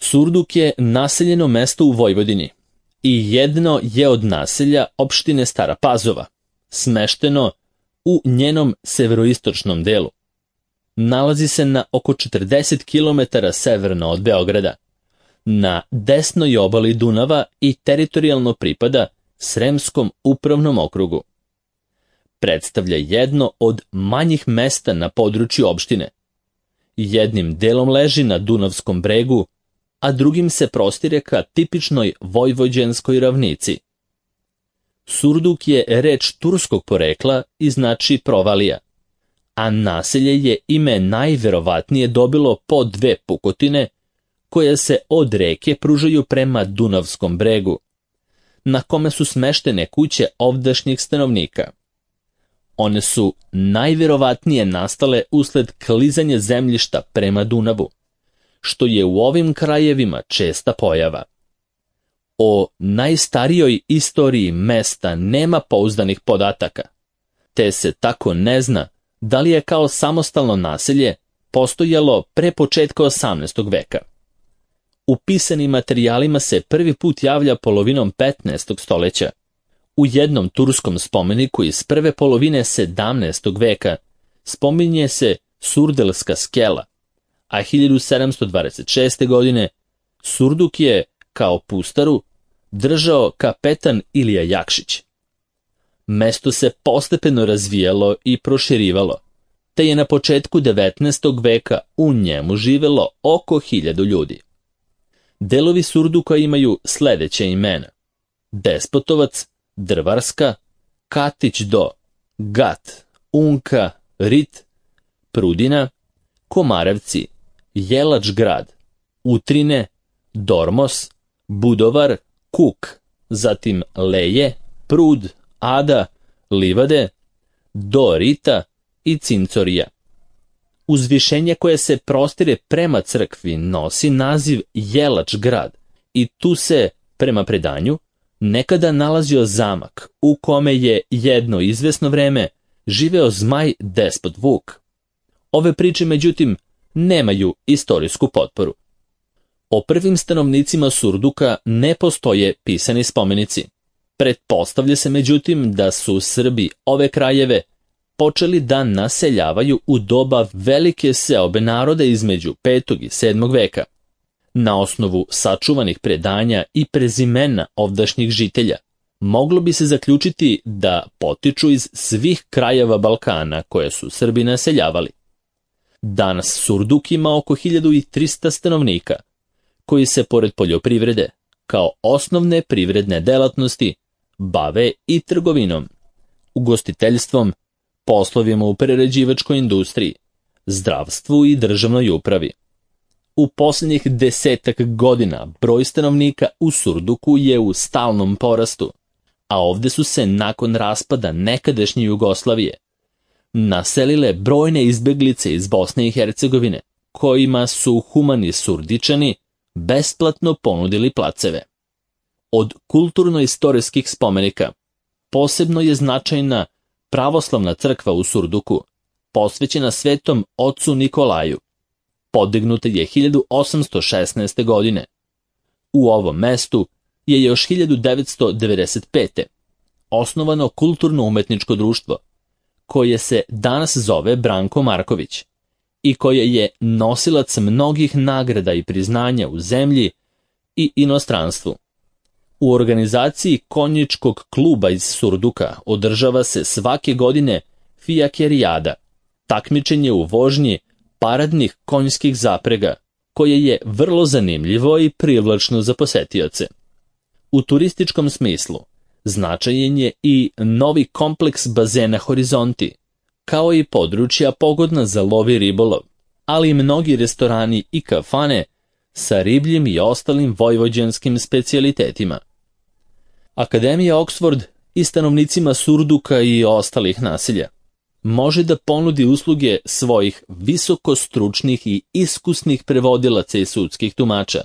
Surduk je naseljeno mesto u Vojvodini i jedno je od naselja opštine Stara Pazova, smešteno u njenom severoistočnom delu. Nalazi se na oko 40 km severno od Beograda, na desnoj obali Dunava i teritorijalno pripada Sremskom upravnom okrugu. Predstavlja jedno od manjih mesta na području opštine. Jednim delom leži na Dunavskom bregu, a drugim se prostire ka tipičnoj vojvođanskoj ravnici. Surduk je reč turskog porekla i znači provalija, a naselje je ime najverovatnije dobilo po dve pukotine koje se od reke pružaju prema Dunavskom bregu, na kome su smeštene kuće ovdašnjih stanovnika. One su najverovatnije nastale usled klizanja zemljišta prema Dunavu, što je u ovim krajevima česta pojava. O najstarijoj istoriji mesta nema pouzdanih podataka, te se tako ne zna da li je kao samostalno naselje postojalo pre početka 18. veka. U pisanim materijalima se prvi put javlja polovinom 15. stoljeća. U jednom turskom spomeniku iz prve polovine 17. veka spominje se Surdelska skela, a 1726. godine Surduk je, kao pustaru, držao kapetan Ilija Jakšić. Mesto se postepeno razvijalo i proširivalo, te je na početku 19. veka u njemu živelo oko 1000 ljudi. Delovi Surduka imaju sledeće imena: Despotovac, Drvarska, Katić do, Gat, Unka, Rit, Prudina, Komarevci, Jelač grad, Utrine, Dormos, Budovar, Kuk, zatim Leje, Prud, Ada, Livade, do Rita i Cincorija. Uzvišenje koje se prostire prema crkvi nosi naziv Jelač grad i tu se, prema predanju, nekada nalazio zamak u kome je jedno izvesno vreme živeo zmaj despot Vuk. Ove priče, međutim, nemaju istorijsku potporu. O prvim stanovnicima Surduka ne postoje pisani spomenici. Pretpostavlja se, međutim, da su Srbi ove krajeve počeli da naseljavaju u doba velike seobe naroda između 5. i 7. veka. Na osnovu sačuvanih predanja i prezimena ovdašnjih žitelja, moglo bi se zaključiti da potiču iz svih krajeva Balkana koje su Srbi naseljavali. Danas Surduk ima oko 1300 stanovnika, koji se pored poljoprivrede, kao osnovne privredne delatnosti, bave i trgovinom, ugostiteljstvom, poslovima u prerađivačkoj industriji, zdravstvu i državnoj upravi. U posljednjih 10 godina broj stanovnika u Surduku je u stalnom porastu, a ovde su se nakon raspada nekadašnje Jugoslavije naselile brojne izbeglice iz Bosne i Hercegovine, kojima su humani Surdičani besplatno ponudili placeve. Od kulturno-istorijskih spomenika posebno je značajna pravoslavna crkva u Surduku, posvećena svetom ocu Nikolaju. Podignuta je 1816. godine. U ovom mestu je još 1995. osnovano kulturno-umetničko društvo, koje se danas zove Branko Marković i koje je nosilac mnogih nagrada i priznanja u zemlji i inostranstvu. U organizaciji konjičkog kluba iz Surduka održava se svake godine fijakerijada, takmičenje u vožnji paradnih konjskih zaprega, koje je vrlo zanimljivo i privlačno za posetioce. U turističkom smislu značajan je i novi kompleks bazena Horizonti, kao i područja pogodna za lov i ribolov, ali i mnogi restorani i kafane sa ribljim i ostalim vojvođanskim specijalitetima. Akademija Oxford i stanovnicima Surduka i ostalih naselja može da ponudi usluge svojih visokostručnih i iskusnih prevodilaca i sudskih tumača,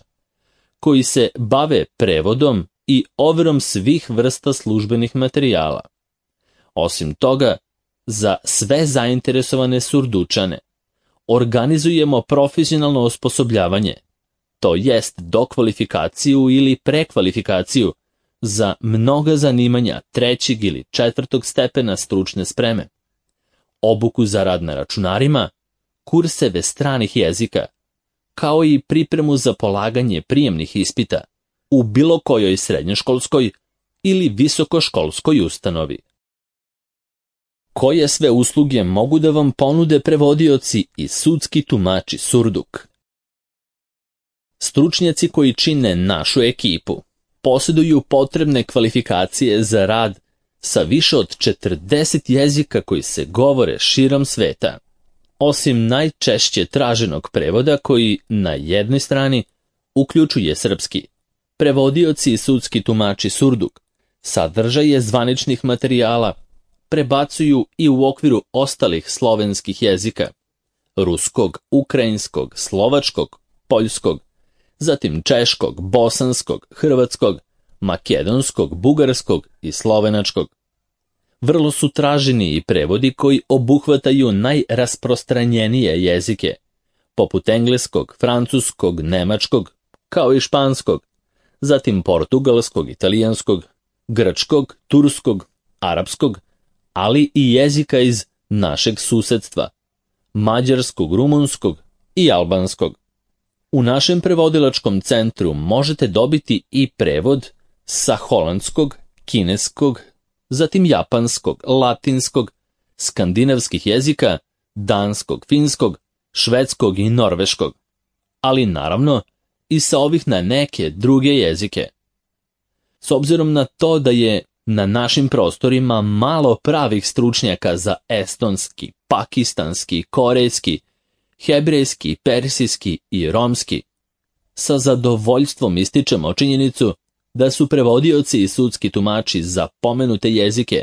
koji se bave prevodom i overom svih vrsta službenih materijala. Osim toga, za sve zainteresovane Surdučane organizujemo profesionalno osposobljavanje, to jest dokvalifikaciju ili prekvalifikaciju za mnoga zanimanja 3. ili 4. stepena stručne spreme, obuku za rad na računarima, kurseve stranih jezika, kao i pripremu za polaganje prijemnih ispita u bilo kojoj srednjoškolskoj ili visokoškolskoj ustanovi. Koje sve usluge mogu da vam ponude prevodioci i sudski tumači Surduk? Stručnjaci koji čine našu ekipu posjeduju potrebne kvalifikacije za rad sa više od 40 jezika koji se govore širom sveta, osim najčešće traženog prevoda koji na jednoj strani uključuje srpski. Prevodioci i sudski tumači Surduk sadržaje zvaničnih materijala prebacuju i u okviru ostalih slovenskih jezika, ruskog, ukrajinskog, slovačkog, poljskog, zatim češkog, bosanskog, hrvatskog, makedonskog, bugarskog i slovenačkog. Vrlo su traženi i prevodi koji obuhvataju najrasprostranjenije jezike, poput engleskog, francuskog, nemačkog, kao i španskog, zatim portugalskog, italijanskog, grčkog, turskog, arapskog, ali i jezika iz našeg susedstva, mađarskog, rumunskog i albanskog. U našem prevodilačkom centru možete dobiti i prevod sa holandskog, kineskog, zatim japanskog, latinskog, skandinavskih jezika, danskog, finskog, švedskog i norveškog, ali naravno i sa ovih na neke druge jezike. S obzirom na to da je na našim prostorima malo pravih stručnjaka za estonski, pakistanski, korejski, hebrejski, persijski i romski, sa zadovoljstvom ističemo činjenicu da su prevodioci i sudski tumači za pomenute jezike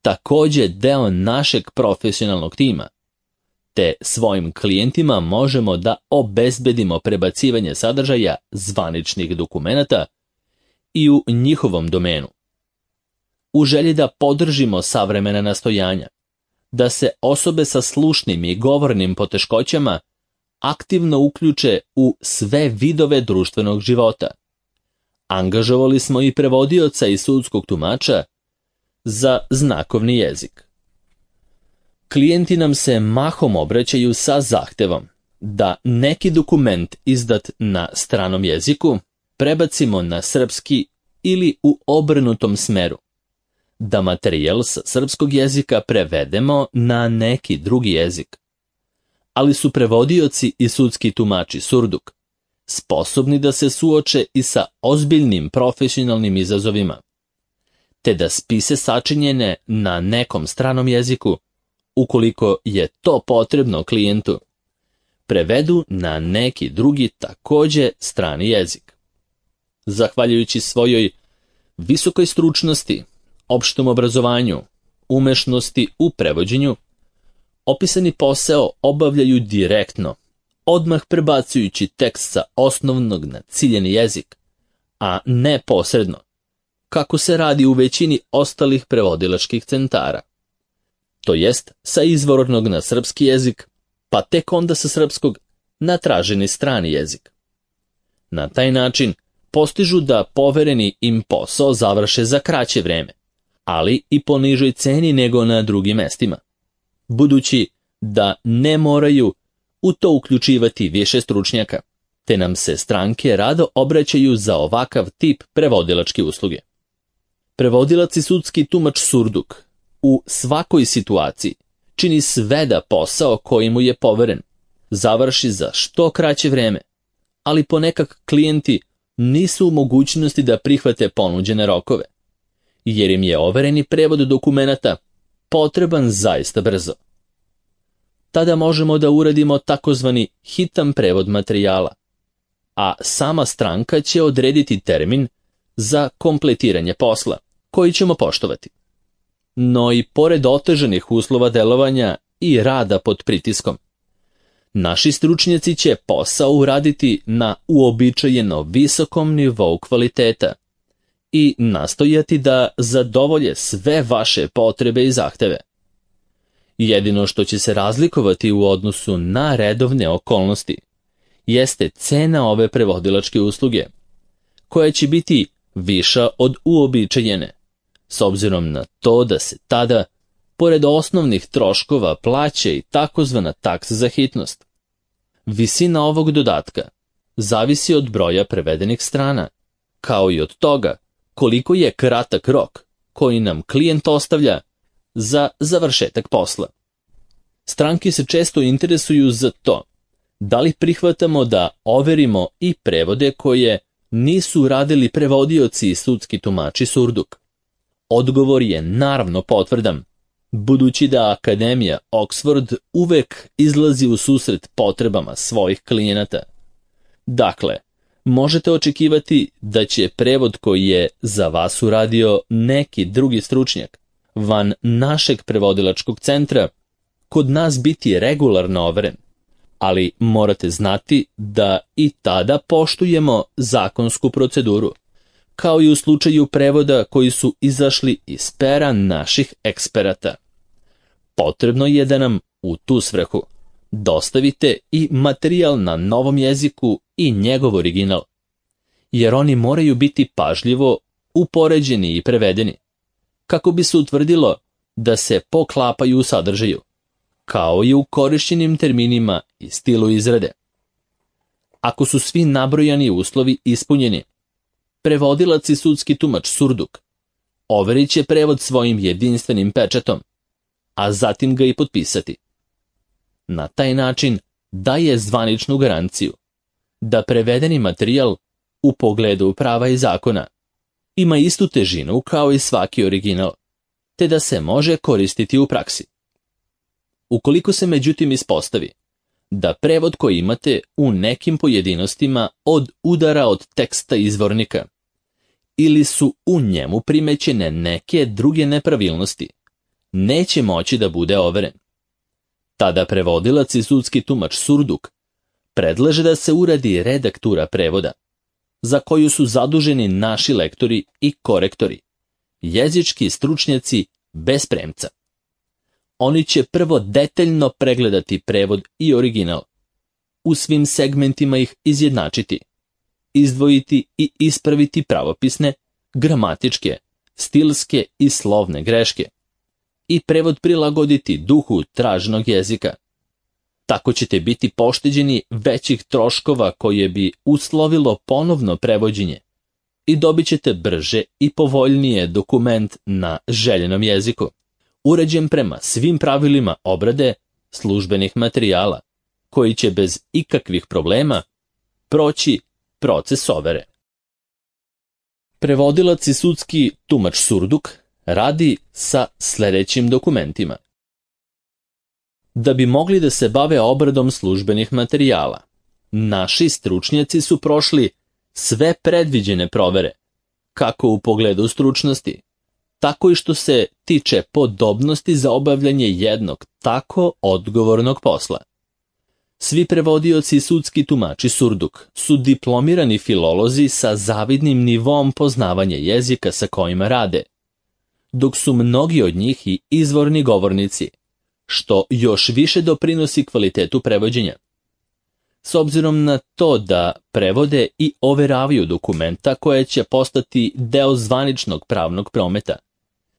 također deo našeg profesionalnog tima, te svojim klijentima možemo da obezbedimo prebacivanje sadržaja zvaničnih dokumenata i u njihovom domenu. U želji da podržimo savremena nastojanja, da se osobe sa slušnim i govornim poteškoćama aktivno uključe u sve vidove društvenog života, angažovali smo i prevodioca i sudskog tumača za znakovni jezik. Klijenti nam se mahom obraćaju sa zahtevom da neki dokument izdat na stranom jeziku prebacimo na srpski ili u obrnutom smeru, da materijal sa srpskog jezika prevedemo na neki drugi jezik. Ali su prevodioci i sudski tumači Surduk sposobni da se suoče i sa ozbiljnim profesionalnim izazovima, te da spise sačinjene na nekom stranom jeziku, ukoliko je to potrebno klijentu, prevedu na neki drugi također strani jezik. Zahvaljujući svojoj visokoj stručnosti, opštem obrazovanju, umešnosti u prevođenju, opisani posao obavljaju direktno, odmah prebacujući tekst sa osnovnog na ciljeni jezik, a ne posredno, kako se radi u većini ostalih prevodilačkih centara. To jest sa izvornog na srpski jezik, pa tek onda sa srpskog na traženi strani jezik. Na taj način postižu da povereni im posao završe za kraće vreme, ali i po nižoj ceni nego na drugim mestima, budući da ne moraju u to uključivati više stručnjaka, te nam se stranke rado obraćaju za ovakav tip prevodilačke usluge. Prevodilac i sudski tumač Surduk u svakoj situaciji čini sve da posao koji mu je poveren završi za što kraće vreme, ali ponekad klijenti nisu u mogućnosti da prihvate ponuđene rokove, jer im je overeni prevod dokumenata potreban zaista brzo. Tada možemo da uradimo takozvani hitan prevod materijala, a sama stranka će odrediti termin za kompletiranje posla, koji ćemo poštovati. No i pored otežanih uslova delovanja i rada pod pritiskom, naši stručnjaci će posao uraditi na uobičajeno visokom nivou kvaliteta i nastojati da zadovolje sve vaše potrebe i zahteve. Jedino što će se razlikovati u odnosu na redovne okolnosti jeste cena ove prevodilačke usluge, koja će biti viša od uobičajene, s obzirom na to da se tada, pored osnovnih troškova, plaća i takozvana taksa za hitnost. Visina ovog dodatka zavisi od broja prevedenih strana, kao i od toga koliko je kratak rok koji nam klijent ostavlja za završetak posla. Stranke se često interesuju za to da li prihvatamo da overimo i prevode koje nisu radili prevodioci i sudski tumači Surduk. Odgovor je naravno potvrdan, budući da Akademija Oxford uvek izlazi u susret potrebama svojih klijenata. Dakle, možete očekivati da će prevod koji je za vas uradio neki drugi stručnjak van našeg prevodilačkog centra kod nas biti regularno overen, ali morate znati da i tada poštujemo zakonsku proceduru, kao i u slučaju prevoda koji su izašli iz pera naših eksperata. Potrebno je da nam u tu svrhu dostavite i materijal na novom jeziku i njegov original, jer oni moraju biti pažljivo upoređeni i prevedeni, kako bi se utvrdilo da se poklapaju u sadržaju, kao i u korišćenim terminima i stilu izrade. Ako su svi nabrojani uslovi ispunjeni, prevodilac i sudski tumač Surduk overit će prevod svojim jedinstvenim pečatom, a zatim ga i potpisati. Na taj način daje zvaničnu garanciju da prevedeni materijal u pogledu prava i zakona ima istu težinu kao i svaki original, te da se može koristiti u praksi. Ukoliko se međutim ispostavi da prevod koji imate u nekim pojedinostima udara od teksta izvornika ili su u njemu primećene neke druge nepravilnosti, neće moći da bude overen. Tada prevodilac i sudski tumač Surduk predlaže da se uradi redaktura prevoda, za koju su zaduženi naši lektori i korektori, jezički stručnjaci bez premca. Oni će prvo detaljno pregledati prevod i original, u svim segmentima ih izjednačiti, izdvojiti i ispraviti pravopisne, gramatičke, stilske i slovne greške i prevod prilagoditi duhu traženog jezika. Tako ćete biti pošteđeni većih troškova koje bi uslovilo ponovno prevođenje i dobit ćete brže i povoljnije dokument na željenom jeziku, uređen prema svim pravilima obrade službenih materijala, koji će bez ikakvih problema proći proces overe. Prevodilac i sudski tumač Surduk radi sa sljedećim dokumentima. Da bi mogli da se bave obradom službenih materijala, naši stručnjaci su prošli sve predviđene provere, kako u pogledu stručnosti, tako i što se tiče podobnosti za obavljanje jednog tako odgovornog posla. Svi prevodioci i sudski tumači Surduk su diplomirani filolozi sa zavidnim nivom poznavanja jezika sa kojima rade, dok su mnogi od njih i izvorni govornici, što još više doprinosi kvalitetu prevođenja. S obzirom na to da prevode i overavaju dokumenta koje će postati deo zvaničnog pravnog prometa,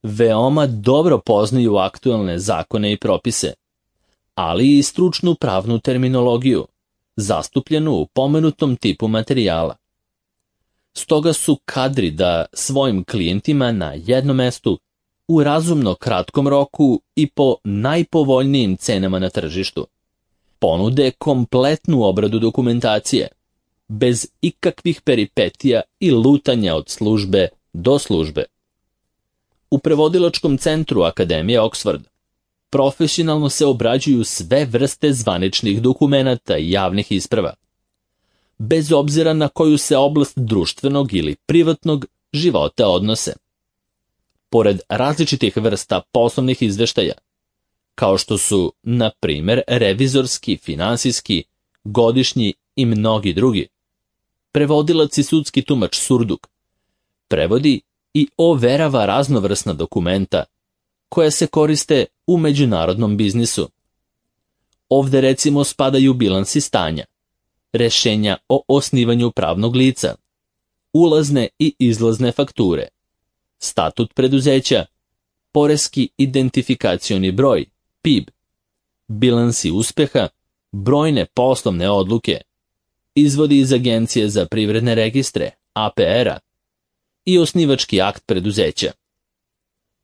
veoma dobro poznaju aktualne zakone i propise, ali i stručnu pravnu terminologiju, zastupljenu u pomenutom tipu materijala. Stoga su kadri da svojim klijentima na jednom mestu u razumno kratkom roku i po najpovoljnijim cenama na tržištu ponude kompletnu obradu dokumentacije, bez ikakvih peripetija i lutanja od službe do službe. U prevodilačkom centru Akademije Oxford profesionalno se obrađuju sve vrste zvaničnih dokumenata i javnih isprava, bez obzira na koju se oblast društvenog ili privatnog života odnose. Pored različitih vrsta poslovnih izveštaja, kao što su, na primjer, revizorski, finansijski, godišnji i mnogi drugi, prevodilac i sudski tumač Surduk prevodi i overava raznovrsna dokumenta koja se koriste u međunarodnom biznisu. Ovde recimo spadaju bilansi stanja, rešenja o osnivanju pravnog lica, ulazne i izlazne fakture, statut preduzeća, poreski identifikacioni broj, PIB, bilansi uspeha, brojne poslovne odluke, izvodi iz Agencije za privredne registre, APR-a, i osnivački akt preduzeća.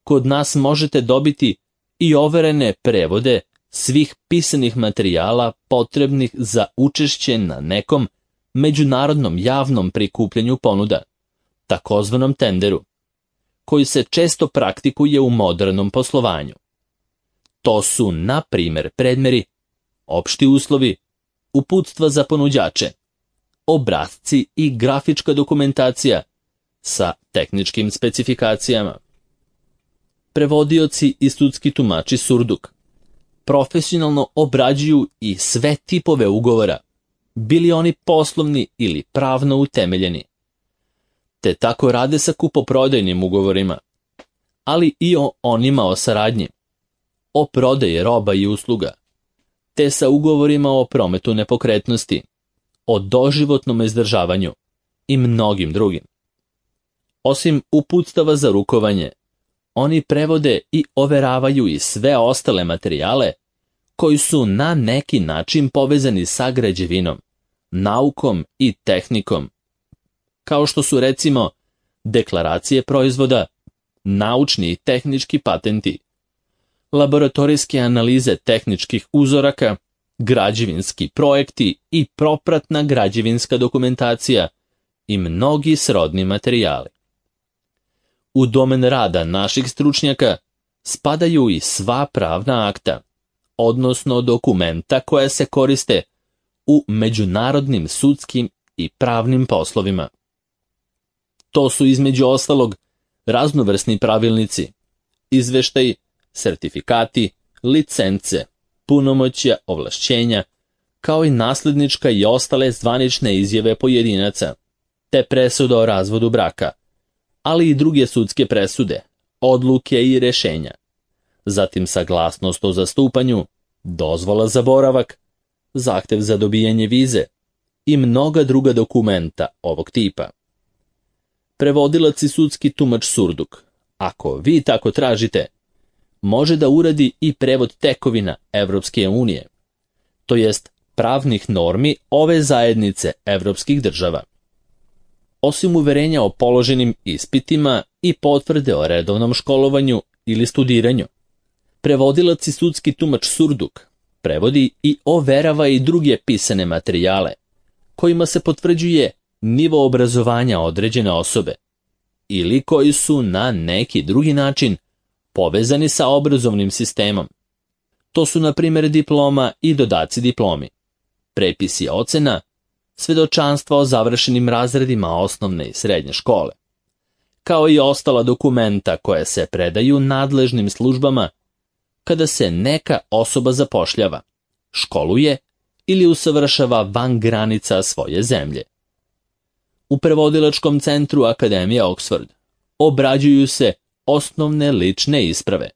Kod nas možete dobiti i overene prevode svih pisanih materijala potrebnih za učešće na nekom međunarodnom javnom prikupljanju ponuda, takozvanom tenderu, koji se često praktikuje u modernom poslovanju. To su, na primjer, predmeri, opšti uslovi, uputstva za ponuđače, obrasci i grafička dokumentacija sa tehničkim specifikacijama. Prevodioci i sudski tumači surduk profesionalno obrađuju i sve tipove ugovora, bili oni poslovni ili pravno utemeljeni, te tako rade sa kupoprodajnim ugovorima, ali i o onima o saradnji, o prodaji roba i usluga, te sa ugovorima o prometu nepokretnosti, o doživotnom izdržavanju i mnogim drugim. Osim uputstava za rukovanje, oni prevode i overavaju i sve ostale materijale koji su na neki način povezani sa građevinom, naukom i tehnikom, kao što su recimo deklaracije proizvoda, naučni i tehnički patenti, laboratorijske analize tehničkih uzoraka, građevinski projekti i propratna građevinska dokumentacija i mnogi srodni materijali. U domen rada naših stručnjaka spadaju i sva pravna akta, odnosno dokumenta koja se koriste u međunarodnim sudskim i pravnim poslovima. To su između ostalog raznovrsni pravilnici, izveštaji, sertifikati, licence, punomoćja, ovlašćenja, kao i naslednička i ostale zvanične izjave pojedinaca, te presuda o razvodu braka, ali i druge sudske presude, odluke i rešenja, zatim saglasnost o zastupanju, dozvola za boravak, zahtev za dobijanje vize i mnoga druga dokumenta ovog tipa. Prevodilac i sudski tumač surduk, ako vi tako tražite, može da uradi i prevod tekovina Evropske unije, to jest pravnih normi ove zajednice evropskih država. Osim uverenja o položenim ispitima i potvrde o redovnom školovanju ili studiranju, prevodilac i sudski tumač surduk prevodi i overava i druge pisane materijale, kojima se potvrđuje nivo obrazovanja određene osobe, ili koji su na neki drugi način povezani sa obrazovnim sistemom. To su, na primjer, diploma i dodaci diplomi, prepisi ocena, svedočanstva o završenim razredima osnovne i srednje škole, kao i ostala dokumenta koja se predaju nadležnim službama kada se neka osoba zapošljava, školuje ili usavršava van granica svoje zemlje. U prevodilačkom centru Akademije Oxford obrađuju se osnovne lične isprave,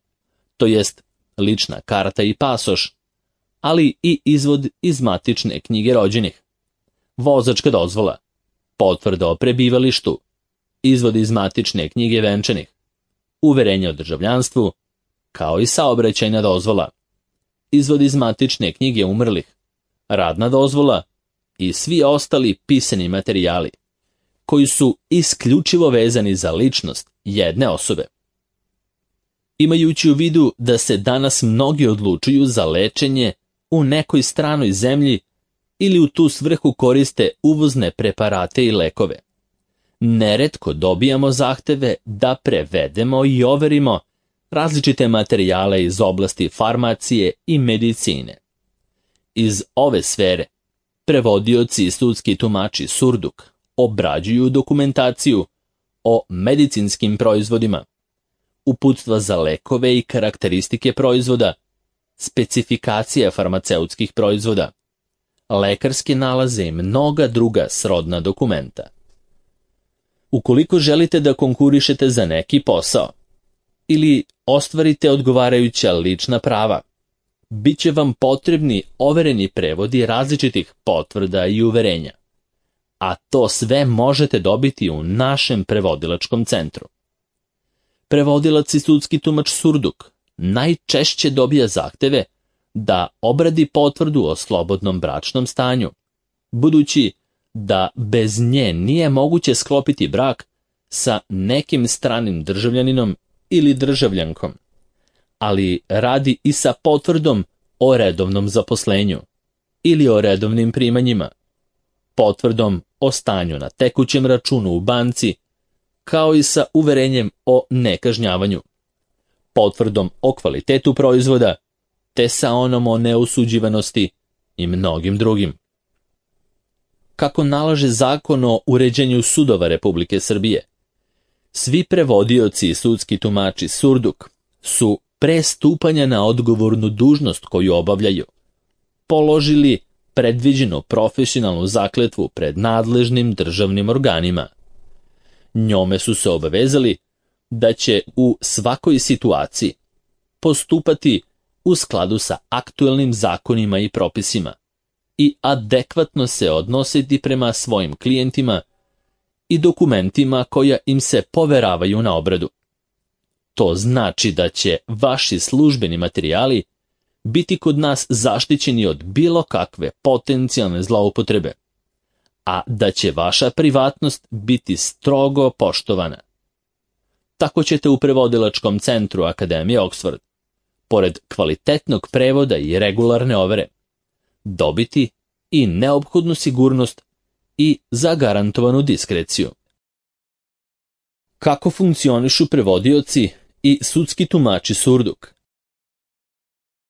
to jest lična karta i pasoš, ali i izvod iz matične knjige rođenih, vozačka dozvola, potvrda o prebivalištu, izvod iz matične knjige venčanih, uverenje o državljanstvu, kao i saobraćajna dozvola, izvod iz matične knjige umrlih, radna dozvola i svi ostali pisani materijali, koji su isključivo vezani za ličnost jedne osobe. Imajući u vidu da se danas mnogi odlučuju za lečenje u nekoj stranoj zemlji ili u tu svrhu koriste uvozne preparate i lekove, neretko dobijamo zahteve da prevedemo i overimo različite materijale iz oblasti farmacije i medicine. Iz ove sfere prevodioci i sudski tumači surduk obrađuju dokumentaciju o medicinskim proizvodima, uputstva za lekove i karakteristike proizvoda, specifikacija farmaceutskih proizvoda, lekarske nalaze i mnoga druga srodna dokumenta. Ukoliko želite da konkurišete za neki posao ili ostvarite odgovarajuća lična prava, bit će vam potrebni overeni prevodi različitih potvrda i uverenja. A to sve možete dobiti u našem prevodilačkom centru. Prevodilac i sudski tumač Surduk najčešće dobija zahteve da obradi potvrdu o slobodnom bračnom stanju, budući da bez nje nije moguće sklopiti brak sa nekim stranim državljaninom ili državljankom, ali radi i sa potvrdom o redovnom zaposlenju ili o redovnim primanjima, potvrdom o stanju na tekućem računu u banci, kao i sa uverenjem o nekažnjavanju, potvrdom o kvalitetu proizvoda, te sa onom o neosuđivanosti i mnogim drugim. Kako nalaže Zakon o uređenju sudova Republike Srbije, svi prevodioci i sudski tumači Surduk su pre stupanja na odgovornu dužnost koju obavljaju položili predviđenu profesionalnu zakletvu pred nadležnim državnim organima. Njome su se obavezali da će u svakoj situaciji postupati u skladu sa aktuelnim zakonima i propisima i adekvatno se odnositi prema svojim klijentima i dokumentima koja im se poveravaju na obradu. To znači da će vaši službeni materijali biti kod nas zaštićeni od bilo kakve potencijalne zloupotrebe, a da će vaša privatnost biti strogo poštovana. Tako ćete u prevodilačkom centru Akademije Oxford, pored kvalitetnog prevoda i regularne overe, dobiti i neophodnu sigurnost i zagarantovanu diskreciju. Kako funkcionišu prevodioci i sudski tumači Surduk?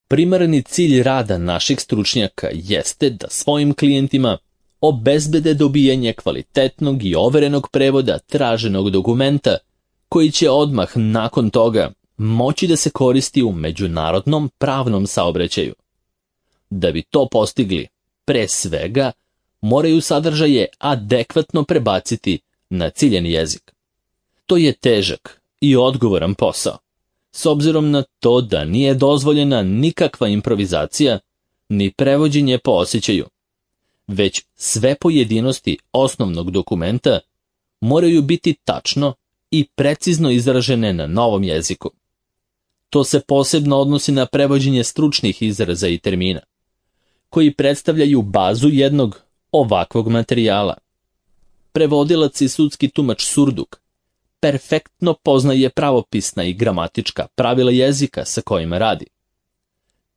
Primarni cilj rada naših stručnjaka jeste da svojim klijentima obezbede dobijanje kvalitetnog i overenog prevoda traženog dokumenta koji će odmah nakon toga moći da se koristi u međunarodnom pravnom saobraćaju. Da bi to postigli, pre svega, moraju sadržaje adekvatno prebaciti na ciljeni jezik. To je težak i odgovoran posao, s obzirom na to da nije dozvoljena nikakva improvizacija ni prevođenje po osjećaju, već sve pojedinosti osnovnog dokumenta moraju biti tačno i precizno izražene na novom jeziku. To se posebno odnosi na prevođenje stručnih izraza i termina, koji predstavljaju bazu jednog ovakvog materijala. Prevodilac i sudski tumač Surduk perfektno poznaje pravopisna i gramatička pravila jezika sa kojima radi.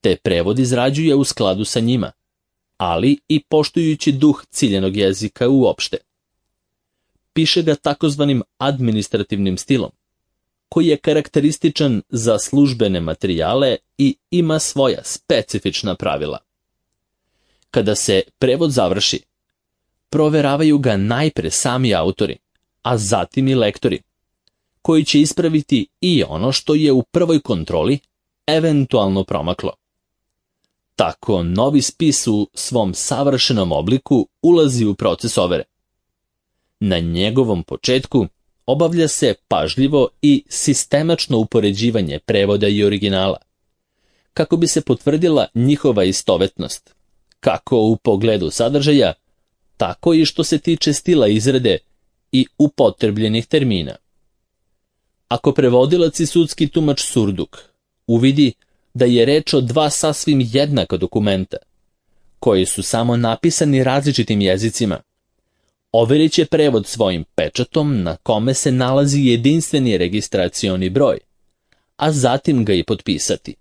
Te prevod izrađuje u skladu sa njima, ali i poštujući duh ciljenog jezika uopšte. Piše ga takozvanim administrativnim stilom, koji je karakterističan za službene materijale i ima svoja specifična pravila. Kada se prevod završi, proveravaju ga najpre sami autori, a zatim i lektori, koji će ispraviti i ono što je u prvoj kontroli eventualno promaklo. Tako novi spis u svom savršenom obliku ulazi u proces overe. Na njegovom početku obavlja se pažljivo i sistemačno upoređivanje prevoda i originala, kako bi se potvrdila njihova istovetnost, kako u pogledu sadržaja, tako i što se tiče stila izrade i upotrebljenih termina. Ako prevodilac i sudski tumač Surduk uvidi da je reč o dva sasvim jednaka dokumenta, koji su samo napisani različitim jezicima, overit će prevod svojim pečatom na kome se nalazi jedinstveni registracioni broj, a zatim ga i potpisati.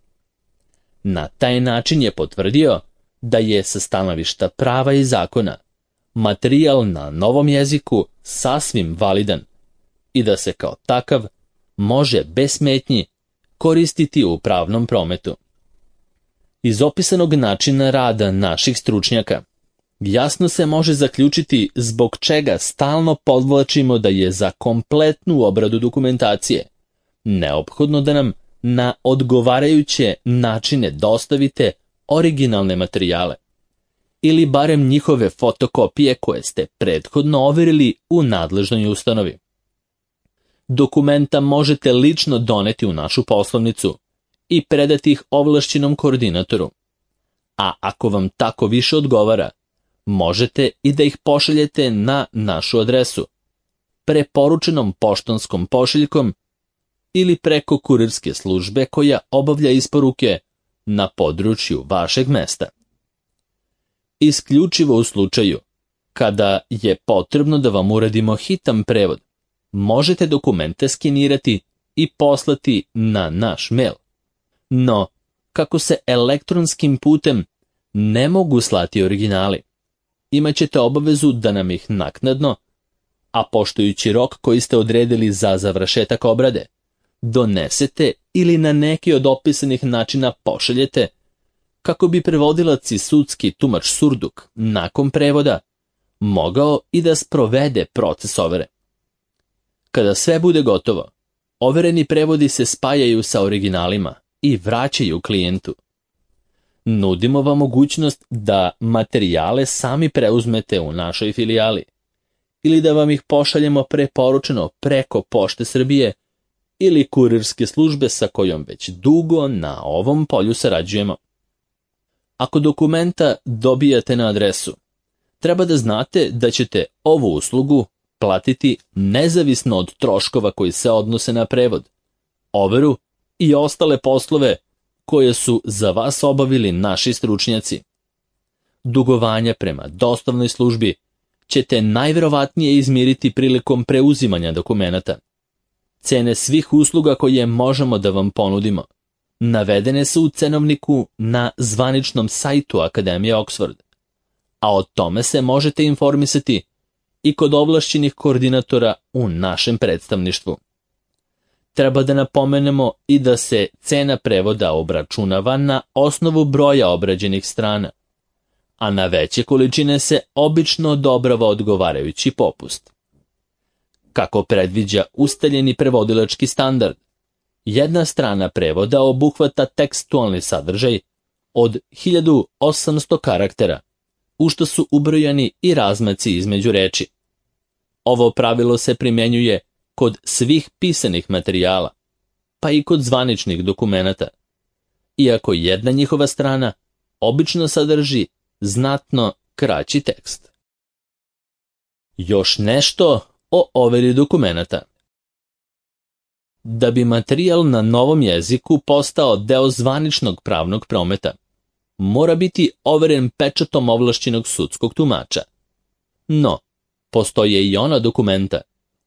Na taj način je potvrdio da je sa stanovišta prava i zakona materijal na novom jeziku sasvim validan i da se kao takav može bez smetnji koristiti u pravnom prometu. Iz opisanog načina rada naših stručnjaka jasno se može zaključiti zbog čega stalno podvlačimo da je za kompletnu obradu dokumentacije neophodno da nam na odgovarajuće načine dostavite originalne materijale ili barem njihove fotokopije koje ste prethodno overili u nadležnoj ustanovi. Dokumenta možete lično doneti u našu poslovnicu i predati ih ovlašćenom koordinatoru. A ako vam tako više odgovara, možete i da ih pošaljete na našu adresu, preporučenom poštanskom pošiljkom ili preko kurirske službe koja obavlja isporuke na području vašeg mesta. Isključivo u slučaju kada je potrebno da vam uradimo hitan prevod, možete dokumente skenirati i poslati na naš mail. No, kako se elektronskim putem ne mogu slati originali, imaćete obavezu da nam ih naknadno, a poštujući rok koji ste odredili za završetak obrade, donesete ili na neki od opisanih načina pošaljete, kako bi prevodilac i sudski tumač Surduk nakon prevoda mogao i da sprovede proces overe. Kada sve bude gotovo, overeni prevodi se spajaju sa originalima i vraćaju klijentu. Nudimo vam mogućnost da materijale sami preuzmete u našoj filijali ili da vam ih pošaljemo preporučeno preko Pošte Srbije ili kurirske službe sa kojom već dugo na ovom polju sarađujemo. Ako dokumenta dobijate na adresu, treba da znate da ćete ovu uslugu platiti nezavisno od troškova koji se odnose na prevod, overu i ostale poslove koje su za vas obavili naši stručnjaci. Dugovanja prema dostavnoj službi ćete najverovatnije izmiriti prilikom preuzimanja dokumenata. Cene svih usluga koje možemo da vam ponudimo navedene su u cenovniku na zvaničnom sajtu Akademije Oxford, a o tome se možete informisati i kod ovlašćenih koordinatora u našem predstavništvu. Treba da napomenemo i da se cena prevoda obračunava na osnovu broja obrađenih strana, a na veće količine se obično odobrava odgovarajući popust. Kako predviđa ustaljeni prevodilački standard, jedna strana prevoda obuhvata tekstualni sadržaj od 1800 karaktera, u što su ubrojani i razmaci između reči. Ovo pravilo se primjenjuje kod svih pisanih materijala, pa i kod zvaničnih dokumenata, iako jedna njihova strana obično sadrži znatno kraći tekst. Još nešto o overi dokumenata. Da bi materijal na novom jeziku postao deo zvaničnog pravnog prometa, mora biti overen pečatom ovlašćenog sudskog tumača. No, postoje i ona dokumenta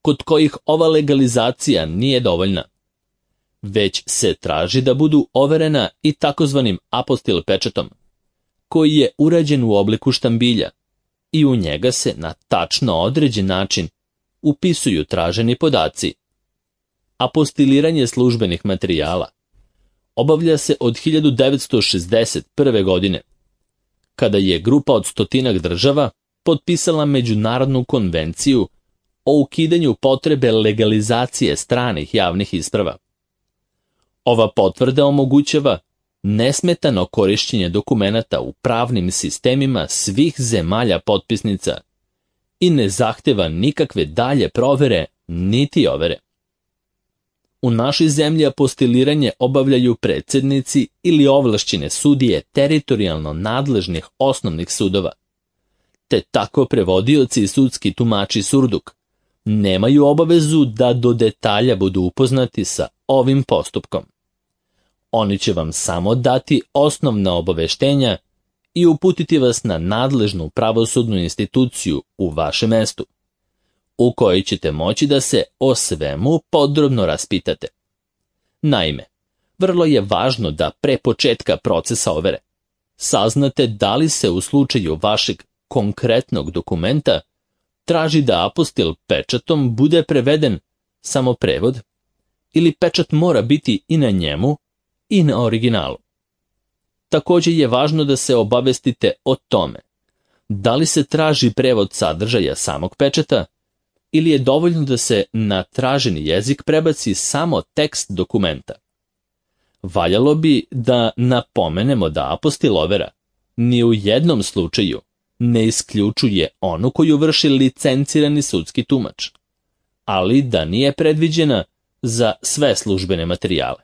kod kojih ova legalizacija nije dovoljna, već se traži da budu overena i takozvanim apostil pečatom, koji je urađen u obliku štambilja i u njega se na tačno određen način upisuju traženi podaci. Apostiliranje službenih materijala obavlja se od 1961. godine, kada je grupa od 100 država potpisala Međunarodnu konvenciju o ukidanju potrebe legalizacije stranih javnih isprava. Ova potvrda omogućava nesmetano korišćenje dokumenata u pravnim sistemima svih zemalja potpisnica i ne zahteva nikakve dalje provere niti overe. U našoj zemlji apostiliranje obavljaju predsjednici ili ovlašćene sudije teritorijalno nadležnih osnovnih sudova, te tako prevodioci i sudski tumači Surduk nemaju obavezu da do detalja budu upoznati sa ovim postupkom. Oni će vam samo dati osnovna obaveštenja i uputiti vas na nadležnu pravosudnu instituciju u vašem mestu, u kojoj ćete moći da se o svemu podrobno raspitate. Naime, vrlo je važno da pre početka procesa overe saznate da li se u slučaju vašeg konkretnog dokumenta traži da apostil pečatom bude preveden samo prevod ili pečat mora biti i na njemu i na originalu. Također je važno da se obavestite o tome da li se traži prevod sadržaja samog pečata ili je dovoljno da se na traženi jezik prebaci samo tekst dokumenta. Valjalo bi da napomenemo da apostil overa ni u jednom slučaju ne isključuje onu koju vrši licencirani sudski tumač, ali da nije predviđena za sve službene materijale.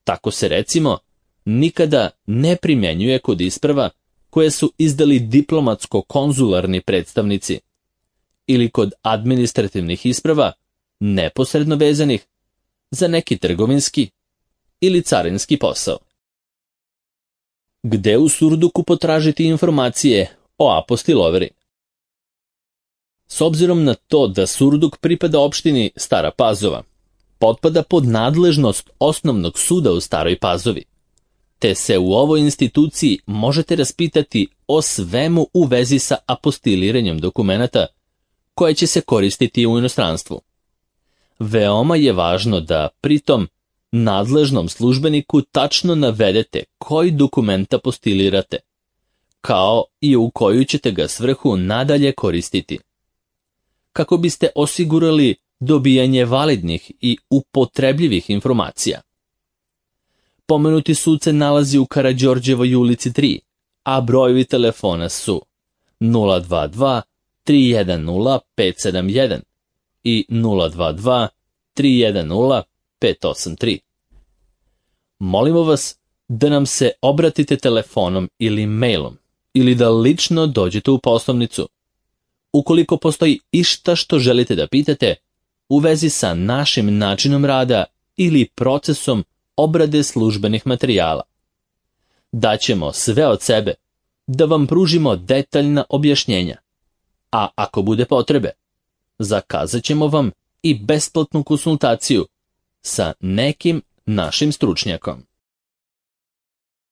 Tako se, recimo, nikada ne primjenjuje kod isprava koje su izdali diplomatsko-konzularni predstavnici ili kod administrativnih isprava neposredno vezanih za neki trgovinski ili carinski posao. Gde u surduku potražiti informacije o apostiloveri? S obzirom na to da Surduk pripada opštini Stara Pazova, potpada pod nadležnost Osnovnog suda u Staroj Pazovi, te se u ovoj instituciji možete raspitati o svemu u vezi sa apostiliranjem dokumenata koje će se koristiti u inostranstvu. Veoma je važno da pritom nadležnom službeniku tačno navedete koji dokument apostilirate, kao i u koju ćete ga svrhu nadalje koristiti. Kako biste osigurali dobijanje validnih i upotrebljivih informacija. Pomenuti sud se nalazi u Karađorđevoj ulici 3, a brojevi telefona su 022 310 571 i 022 310 583. Molimo vas da nam se obratite telefonom ili mailom ili da lično dođete u poslovnicu. Ukoliko postoji išta što želite da pitate u vezi sa našim načinom rada ili procesom obrade službenih materijala. Daćemo sve od sebe da vam pružimo detaljna objašnjenja, a ako bude potrebe, zakazat ćemo vam i besplatnu konsultaciju sa nekim našim stručnjakom.